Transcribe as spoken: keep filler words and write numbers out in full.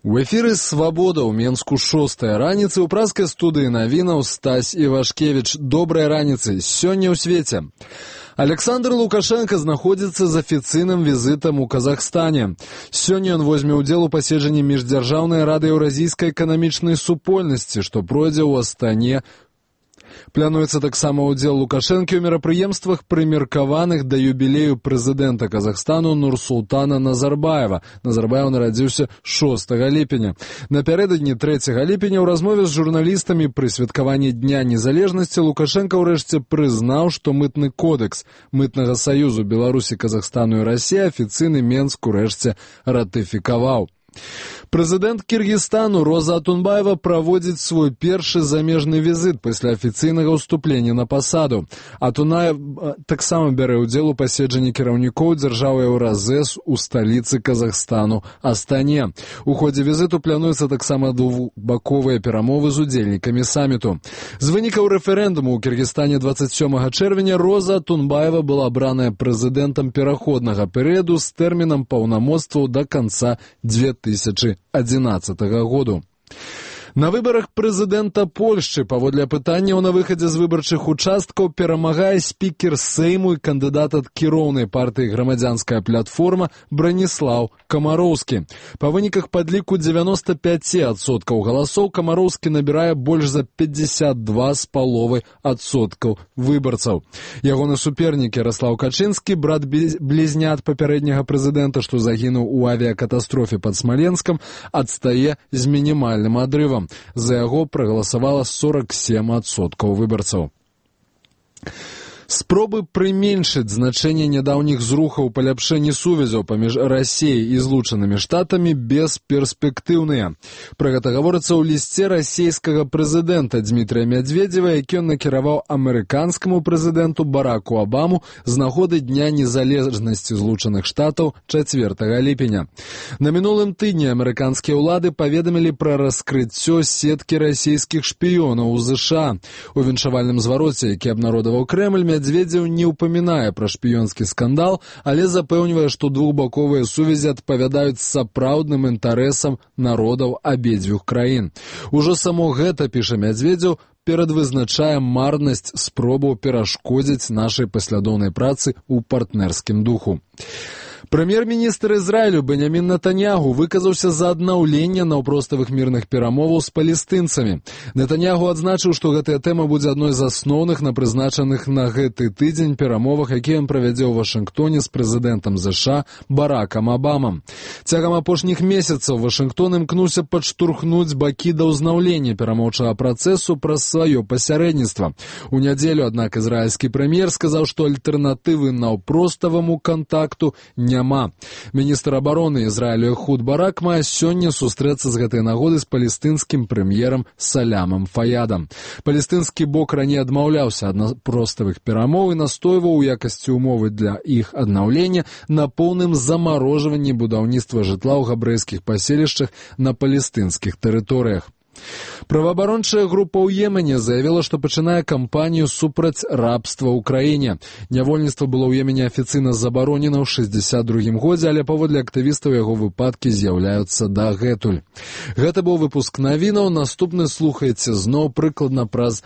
У эфіры «Свабода» ў Менску шостая раніцы, у празкай студыі навінаў Стась Івашкевіч. Добрай раніцы. Сёння ў свеце. Александр Лукашенко знаходзіцца з афіцыйным візітам у Казахстане. Сёння ён возьме ўдзел у паседжанні міждзяржаўнай рады еўразійскай эканамічнай супольнасці, што пройдзе ў Астане. Плануецца таксама ўдзел Лукашэнкі ў мерапрыемствах, прымеркаваных да юбілею прэзідэнта Казахстану Нурсултана Назарбаева. Назарбаев нарадзіўся шостага ліпеня. Напярэдадні трэцяга ліпеня ў размове з журналістамі пры святкаванні Дня незалежнасці Лукашенко ўрэшце прызнаў, што мытны кодекс мытнага саюзу Беларусі, Казахстану і Расіі афіцыйны Менск урэшце ратыфікаваў. Прэзідэнт Кіргізстану Роза Атунбаева праводзіць свой першы замежны візіт пасля афіцыйнага ўступлення на пасаду. Атунаев таксама бярэ ўдзел у паседжанні кіраўнікоў дзяржавы Еўразэс у сталіцы Казахстану Астане. У ходзе візіту плануецца таксама двухбаковыя перамовы з удзельнікамі саміту. З вынікаў рэферэндуму ў Кіргізстане дваццаць сёмага чэрвеня Роза Атунбаева была абраная прэзідэнтам пераходнага перыяду з тэрмінам паўнамоцтваў да канца дзве тысячы адзінаццатага году. На выбарах прэзідэнта Польшчы паводле апытанняў на выхадзе з выбарчых участкаў перамагае спікер Сейму і кандыдат ад кіроўнай партыі «Грамадзянская платформа» Браніслаў Камароўскі. Па выніках падліку дзевяноста пяць адсоткаў галасоў Камароўскі набірае больш за пятьдесят два з паловай адсоткаў выбарцаў. Ягоны супернік Яраслаў Качынскі, брат блізнят папярэдняга прэзідэнта, што загінуў у авіякатастрофе пад Смаленскам, адстае з мінімальным адрывам. За яго прагаласавала сорок сем адсоткаў выбарцаў. Спробы прыменшыць значэнне нядаўніх зрухаў паляпшэнні сувязяў паміж Расіяй і Злучанымі Штатамі бесперспектыўныя. Пра гэта гаворыцца ў лісце расійскага прэзідэнта Дмітрыя Мядзведзева, які ён накіраваў амерыканскаму прэзідэнту Бараку Абаму з нагоды Дня незалежнасці Злучаных Штатаў чацвёртага ліпеня. На мінулым тыдні амерыканскія ўлады паведамілі пра раскрыццё сеткі расійскіх шпіёнаў у ЗША. У віншавальным звароце, які абнародаваў Крэмль, Мядзведзеў не ўпамінае пра шпіёнскі скандал, але запэўнівае, што двухбаковыя сувязі адпавядаюць сапраўдным інтарэсам народаў абедзвюх краін. Ужо само гэта, піша Мядзведзеў, перадвызначае марнасць спробаў перашкодзіць нашай паслядоўнай працы ў партнерскім духу. Прэм'ер-міністр Ізраілю Бенямін Нетаньягу выказаўся за аднаўленне наўпроставых мірных перамоваў з палестынцамі. Нетаньягу адзначыў, што гэтая тэма будзе адной з асноўных на прызначаных на гэты тыдзень перамовах, якія ён правядзе ў Вашынгтоне з прэзідэнтам ЗША Баракам Абамам. Цягам апошніх месяцаў Вашынгтон імкнуўся падштурхнуць бакі да ўзнаўлення перамоўчага працэсу праз сваё пасярэдніцтва. У нядзелю, аднак, ізраільскі прэм'ер сказаў, што альтэрнатывы наўпроставаму кантакту няма. Міністр абароны Ізраілю Эхуд Барак мае сёння сустрэцца з гэтай нагоды з палестынскім прэм'ерам Салямам Фаядам. Палестынскі бок раней адмаўляўся ад наўпроставых перамоў і настойваў у якасці умовы для іх аднаўлення на поўным замарожванні будаўніцтва жытла ў габрэйскіх паселішчах на палестынскіх тэрыторыях. Праваабарончая група ў Йемене заявіла, што пачынае кампанію супраць рабства ў краіне. Нявольніцтва было ў Йемене афіцыйна забаронена ў шэсцьдзесят другім годзе, але паводле актывістаў яго выпадкі з'яўляюцца дагэтуль. Гэта быў выпуск навінаў. Наступны слухаеце зноў прыкладна праз